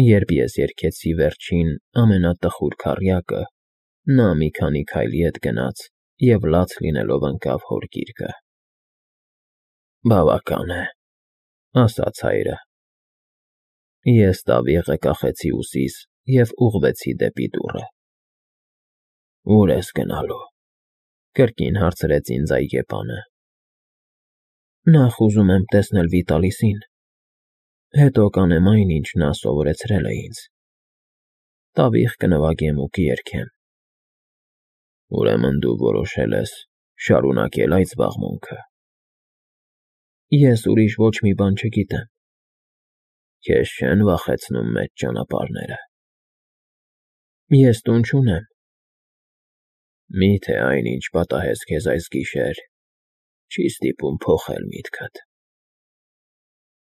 Երբ ես երգեցի վերջին ամենատխուր քառյակը, նա մի քանի քայլ ետ գնաց և լաց լինելով ընկավ հոր գիրկը։ Բավական է, ասաց հայրը։ Ես տավիղը կախեցի ուսիս և ուղղվեցի դեպի դուռը։ Ո՞ւր ես գնալու, կրկին հարցրեց ինձ այգեպանը։ Նախ ուզում եմ տեսնել Վիտալիսին, հետո կանեմ այն, ինչ նա սովորեցրել է ինձ։ Տավիղ կնվագեմ ու կերգեմ։ Ուրեմն դու որոշել ես շարունակել այդ զբաղմունքը։ Ես ուրիշ ոչ մի բան չգիտեմ։ Քեզ չեն վախեցնում մեծ ճանապարհները։ Ես տուն չունեմ։ Մի՞թե այն, ինչ պատահեց քեզ այս գիշեր, չի ստիպում փոխել միտքդ։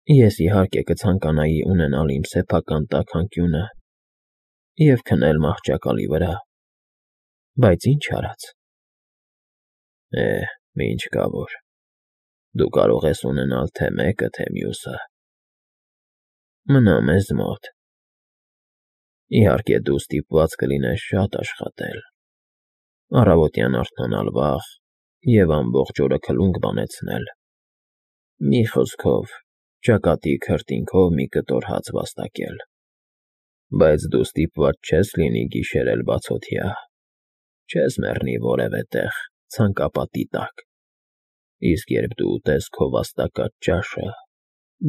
Ես իհարկե կցանկանայի ունենալ իմ սեփական տաքանկյունը և քնել մահճակալի վրա, բայց ինչ արած։ Ինչ կա որ, դու կարող ես ունենալ թե մեկը, թե մյուսը։ Մնա մեզ մոտ։ Իհարկե դու ստիպված կլինես շատ աշխատել, առավոտյան արթնանալ վաղ և ամբողջ օրը քլունգ բանեցնել, մի խոսքով, ճակատի քրտինքով մի կտոր հաց վաստակել, բայց դու ստիպված չես լինի գիշերել բացօթյա, չես մեռնի որևէ տեղ ցանկապատի տակ, իսկ երբ դու ուտես քո վաստակած ճաշը,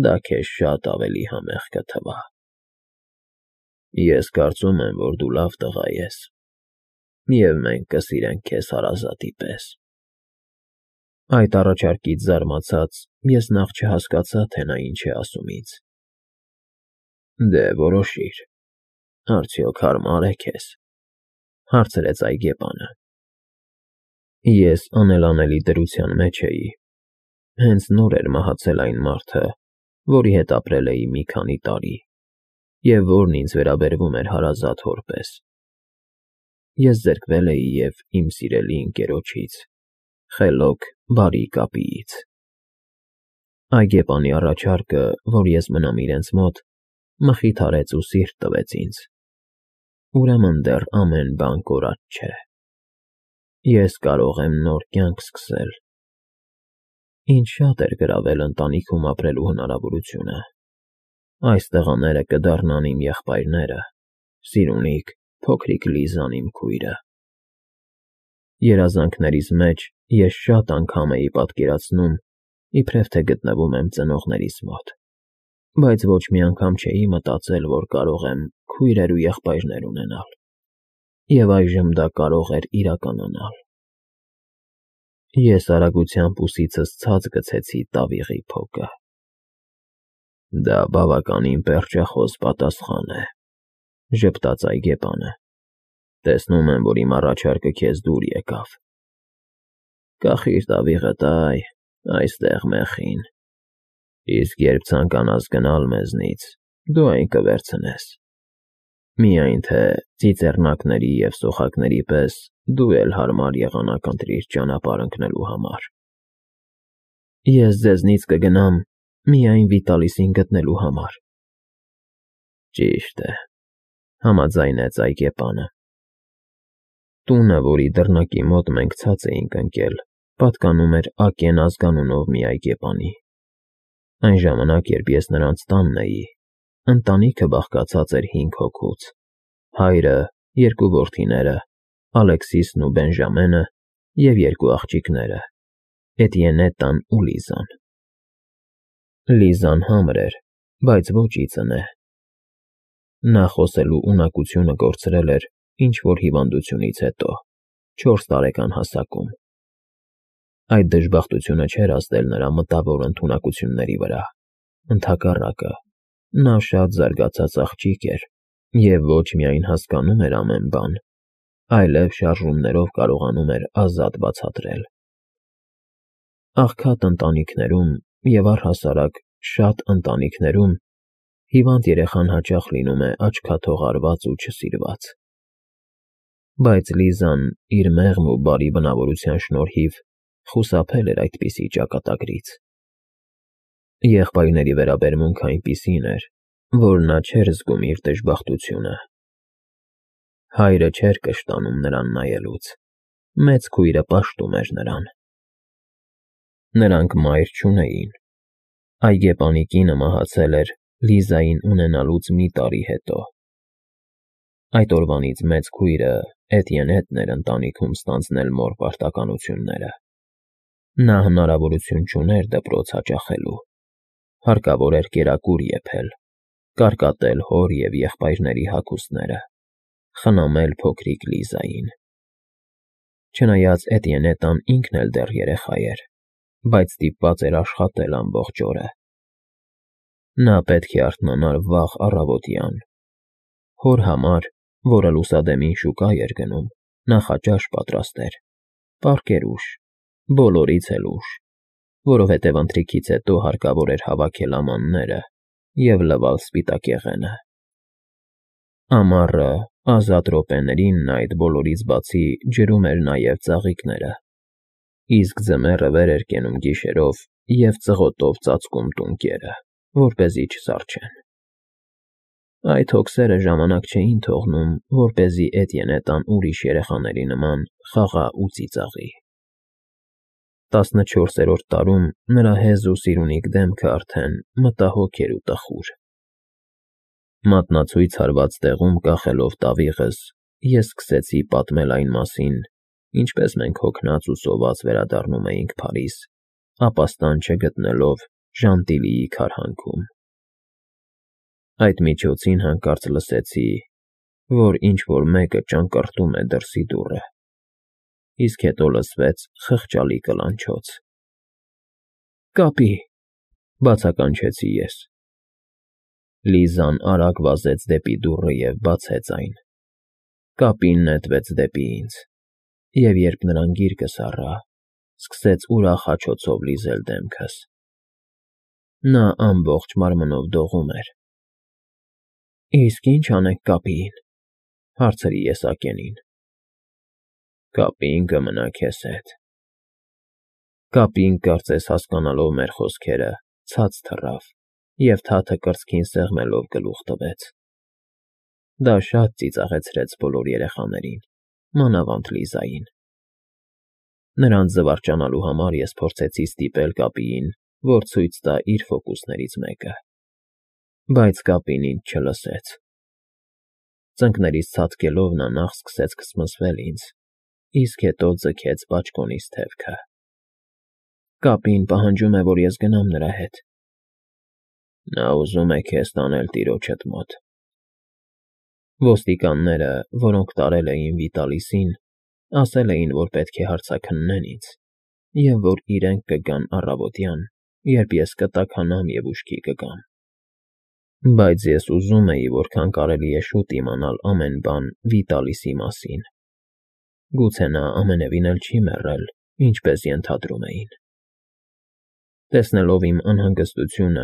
դա քեզ շատ ավելի համեղ կթվա։ Ես կարծում եմ, որ դու լավ տղա ես, և մենք կսիրենք քեզ հարազատի պես։ Այդ առաջարկից զարմացած ես նախ չհասկացա, թե նա ինչ է ասում ինձ։ Դե որոշիր, արդյոք հարմա՞ր է քեզ, հարցրեց այգեպանը։ Ես անելանելի դրության մեջ էի, հենց նոր էր մահացել այն մարդը, որի հետ ապրել էի մի քանի տարի, և որն ինձ վերաբերվում էր հարազատ հոր պես։ Ես զրկվել էի և իմ սիրելի ընկերոջից, խելոք, բարի կապիից։ Այգեպանի առաջարկը, որ ես մնամ իրենց մոտ, մխիթարեց ու սիրտ տվեց ինձ։ Ուրեմն դեռ ամեն բան կորած չէ։ Ես կարող եմ նոր կյանք սկսել։ Ինձ շատ էր գրավել ընտանիքում ապրելու հնարավորությունը։ Այս տղաները կդառնան իմ եղբայրները, Սիրունիկ, փոքրիկ Լիզան իմ քույրը։ Երազանքներիս մեջ ես շատ անգամ էի պատկերացնում, իբրև թե գտնվում եմ ծնողներիս մոտ, բայց ոչ մի անգամ չէի մտածել, որ կարող եմ քույրեր ու եղբայրներ ունենալ, և այժմ դա կարող էր իրականանալ։ Ես արագությամբ ուսիցս ցած գցեցի տավիղի փոկը։ Դա բավականին պերճախոս պատասխան է, ժպտաց այգեպանը։ Տեսնում եմ, որ իմ առաջարկը քեզ դուր եկավ։ Կախիր տավիղդ այստեղ մեխին, իսկ երբ ցանկանաս գնալ մեզնից, դու այն կվերցնես։ Միայն թե ծիծեռնակների և սոխակների պես դու էլ հարմար եղանակ ընտրիր ճանապարհ ընկնելու համար։ Ես ձեզնից կգնամ միայն Վիտալիսին գտնելու համար։ Ճիշտ է, համաձայնեց այգեպանը։ Տունը, որի դռնակի մոտ մենք ցած էինք ընկել, պատկանում էր Ակեն ազգանունով մի այգեպանի։ Այն ժամանակ, երբ ես նրանց տանն էի, ընտանիքը բաղկացած էր 5 հոգուց՝ հայրը, 2 որդիները, Ալեքսիսն ու Բենժամենը և 2 աղջիկները՝ Էտիենետան ու Լիզան։ Լիզան համր էր, բայց ոչ ի ծնե։ Նա խոսելու ունակությունը կորցրել էր ինչ-որ հիվանդությունից հետո, 4 տարեկան հասակում։ Այդ դժբախտությունը չէր ազդել նրա մտավոր ընդունակությունների վրա, ընդհակառակը, նա շատ զարգացած աղջիկ էր և ոչ միայն հասկանում էր ամեն բան, այլև շարժումներով կարողանում էր ազատ բացատրել։ Աղքատ ընտանիքներում և առհասարակ շատ ընտանիքներում հիվանդ երեխան հաճախ լինում է աչքաթողարված ու չսիրված։ Բայց Լիզան իր մեղմ ու բարի բնավորության շնորհիվ խուսափել էր այդպիսի ճակատագրից։ Եղբայրների վերաբերմունքն այնպիսին էր, որ նա չէր զգում իր դժբախտությունը։ Հայրը չէր կշտանում նրան նայելուց, մեծ քույրը պաշտում էր նրան։ Նրանք մայր չունեին։ Այգեպանի կինը մահացել էր Լիզային ունենալուց մի տարի հետո։ Այդ օրվանից մեծ քույրը Էտիենետն էր ընտանիքում ստանձնել մոր պարտականությունները։ Նա հնարավորություն չուներ դպրոց հաճախելու։ Հարկավոր էր կերակուր եփել, կարկատել հոր և եղբայրների հագուստները, խնամել փոքրիկ Լիզային։ Չնայած Էտիենետան ինքն էլ դեռ երեխա էր, բայց ստիպված էր աշխատել ամբողջ օրը։ Նա պետք է արթնանար վաղ առավոտյան։ Հոր համար, որը լուսադեմին շուկա էր գնում, նախաճաշ պատրաստեր, պառկեր ուշ, բոլորից էլ ուշ, որովհետև ընթրիքից հետո հարկավոր էր հավաքել ամանները և լվալ սպիտակեղենը։ Ամառը, ազատ րոպեներին նա այդ բոլորից բացի ջրում էր նաև ծաղիկները, իսկ ձմեռը վեր էր կենում գիշերով և ծղոտով ծածկում տունկերը, որպեսզի չզարչեն։ Այդ հոգսերը ժամանակ չէին թողնում, որպեսզի Էտիենետան ուրիշ երեխաների նման խաղա ու ծիծաղի։ 14-րդ տարում նրա հեզ ու սիրունիկ դեմքը արդեն մտահոգ էր ու տխուր։ Մատնացույց հարված տեղում կախելով տավիղս, ես սկսեցի պատմել այն մասին, ինչպես մենք հոգնած ու սոված վերադառնում էինք Փարիզ, ապաստան չգտնելով Ժանտիլիի քարհանքում։ Այդ միջոցին հանկարծ լսեցի, որ ինչ-որ մեկը ճանկռտում է դրսի դուռը, իսկ հետո լսվեց խղճալի կլանչոց։ «Կապի», բացականչեցի ես։ Լիզան արագ վազեց դեպի դուռը և բացեց այն։ Կապին նետվեց դեպի ինձ, և երբ նրան գիրկս առա, սկսեց ուրախ հաչոցով լիզել դեմքս։ Նա ամբողջ մարմնով դողում էր։ «Իսկ ի՞նչ անենք կապիին», հարցրի ես Ակենին։ «Կապին կմնա քեզ հետ»։ Կապին, կարծես հասկանալով մեր խոսքերը, ցած թռավ և թաթը կրծքին սեղմելով գլուխ տվեց։ Դա շատ ծիծաղեցրեց բոլոր երեխաներին, մանավանդ Լիզային։ Նրանց զվարճանալու համար ես փորձեցի ստիպել Կապիին, որ ցույց տա իր ֆոկուսներից մեկը, բայց Կապին ինձ չլսեց։ Ծնկներից ցատկելով նա նախ սկսեց քսմսվել ինձ, իսկ հետո ձգեց բաճկոնիս թևքը։ «Կապին պահանջում է, որ ես գնամ նրա հետ»։ «Նա ուզում է քեզ տանել տիրոջդ մոտ»։ Ոստիկանները, որոնք տարել էին Վիտալիսին, ասել էին, որ պետք է հարցաքննեն ինձ, և որ իրենք կգան առավոտյան, երբ ես կտաքանամ և ուշքի կգամ։ Բայց ես ուզում էի որքան կարելի է շուտ իմանալ ամեն բան Վիտալիսի մասին։ Գուցե նա ամենևին էլ չի մեռել, ինչպես ենթադրում էին։ Տեսնելով իմ անհանգստությունը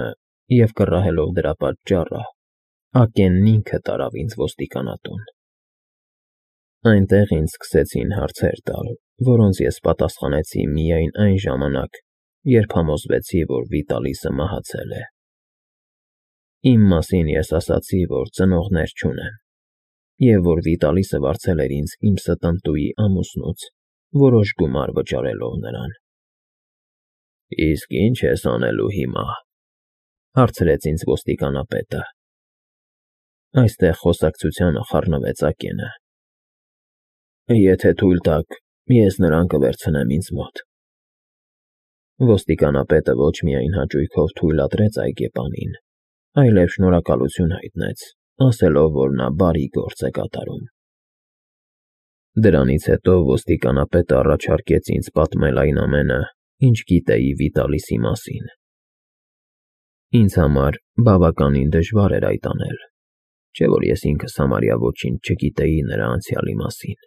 և կռահելով դրա պատճառը, Ակենն ինքը տարավ ինձ ոստիկանատուն։ Այնտեղ ինձ սկսեցին հարցեր տալ, որոնց ես պատասխանեցի միայն այն ժամանակ, երբ համոզվեցի, որ Վիտալիսը մահացել է։ Իմ մասին ես ասացի, որ ծնողներ չունեմ, և որ Վիտալիսը վարձել էր ինձ իմ ստընտուի ամուսնուց, որոշ գումար վճարելով նրան։ «Իսկ ի՞նչ ես անելու հիմա», հարցրեց ինձ ոստիկանապետը։ Այստեղ խոսակցությանը խառնվեց Ակենը։ «Եթե թույլ տաք, ես նրան կվերցնեմ ինձ մոտ»։ Ոստիկանապետը ոչ միայն հաճույքով թույլատրեց այգեպանին, այլև շնորհակալություն հայտնեց, ասելով, որ նա բարի գործ է կատարում։ Դրանից հետո ոստիկանապետը առաջարկեց ինձ պատմել այն ամենը, ինչ գիտեի Վիտալիսի մասին։ Ինձ համար բավականին դժվար էր այդ անել, չէ՞ որ ես ինքս համարյա ոչինչ չգիտեի նրա անցյալի մասին։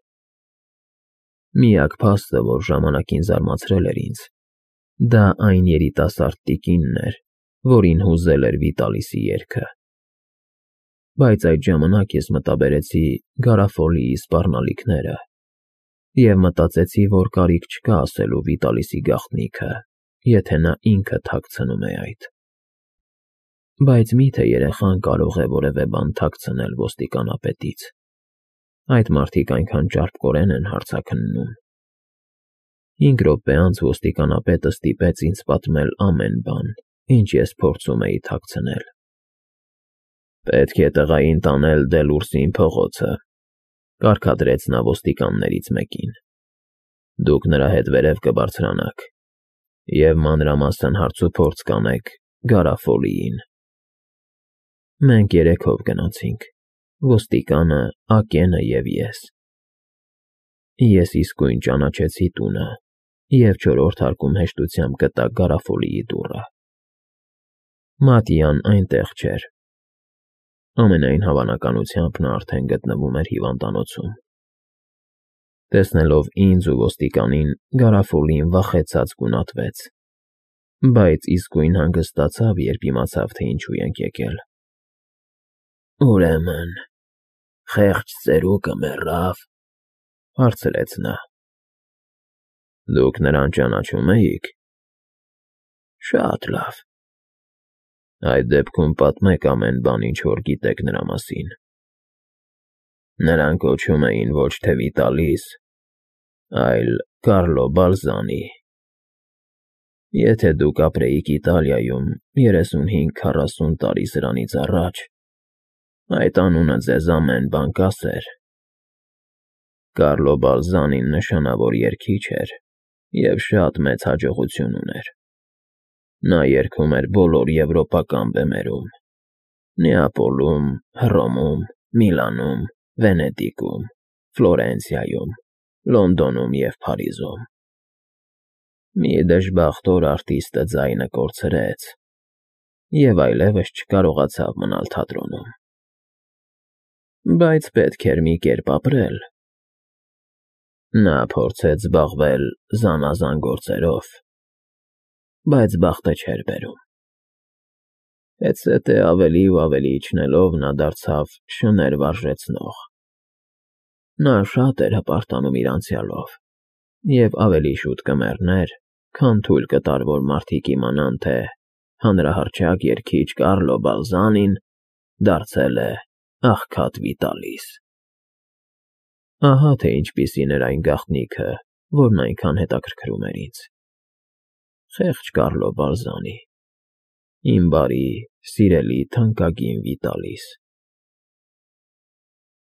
Միակ փաստը, որ ժամանակին զարմացրել էր ինձ, դա այն երիտասարդ տիկինն էր, որին հուզել էր Վիտալիսի երգը։ Բայց այդ ժամանակ ես մտաբերեցի Գարաֆոլիի սպառնալիքները և մտածեցի, որ կարիք չկա ասելու Վիտալիսի գաղտնիքը, եթե նա ինքը թաքցնում է այդ։ Բայց մի՞թե երեխան կարող է որևէ բան թաքցնել ոստիկանապետից։ Այդ մարդիկ այնքան ճարպկորեն են հարցաքննում։ 5 րոպե անց ոստիկանապետը ստիպեց ինձ պատմել ամեն բան, ինչ ես փորձում էի թաքցնել։ Պետք է տղային տանել Դելուրսին փողոցը, կարգադրեց նա ոստիկաններից մեկին։ Դուք նրա հետ վերև կբարձրանաք և մանրամասն հարցուփորձ կանեք Գարաֆոլիին։ Մենք 3-ով գնացինք, ոստիկանը, Ակենը և ես։ Ես իսկույն ճանաչեցի տունը և 4-րդ հարկում հեշտությամբ գտա Գարաֆոլիի դուռը։ Մատիան այնտեղ չէր։ Ամենայն հավանականությամբ նա արդեն գտնվում էր հիվանդանոցում։ Տեսնելով ինձ ու ոստիկանին, Գարաֆոլին վախեցած գունատվեց, բայց իսկույն հանգստացավ, երբ իմացավ, թե ինչու ենք եկել։ Ուրեմն, խեղճ ծերուկը մեռավ, հարցրեց նա։ Դուք նրան ճանաչում էիք։ Շատ լավ։ Այդ դեպքում պատմեք ամեն բան, ինչ որ գիտեք նրա մասին։ Նրան կոչում էին ոչ թե Վիտալիս, այլ Կարլո Բալզանի։ Եթե դուք ապրեիք Իտալիայում 35-40 տարի սրանից առաջ, այդ անունը ձեզ ամեն բան կասեր։ Կարլո Բալզանին նշանավոր երգիչ էր և շատ մեծ հաջողություն ուներ։ Նա երգում էր բոլոր եվրոպական բեմերում՝ Նեապոլում, Հռոմում, Միլանում, Վենետիկում, Ֆլորենցիայում, Լոնդոնում և Փարիզում։ Մի դժբախտոր արտիստը ձայնը կորցրեց և այլևս չկարողացավ մնալ թատրոնում։ Բայց պետք էր մի կերպ ապրել։ Նա փորձեց զբաղվել զանազան գործերով, բայց բախտը չէր բերում։ Հետզհետե ավելի ու ավելի իջնելով նա դարձավ շներ վարժեցնող։ Նա շատ էր հպարտանում իր անցյալով և ավելի շուտ կմեռներ, քան թույլ կտար, որ մարդիկ իմանան, թե հանրահռչակ երգիչ Կարլո Բալզանին դարձել է աղքատ Վիտալիս։ Ահա թե ինչպիսին էր այն գաղտնիքը, որն այնքան հետաքրքրում էր ինձ։ Խեղճ Կարլո Բալզանի, իմ բարի, սիրելի, թանկագին Վիտալիս։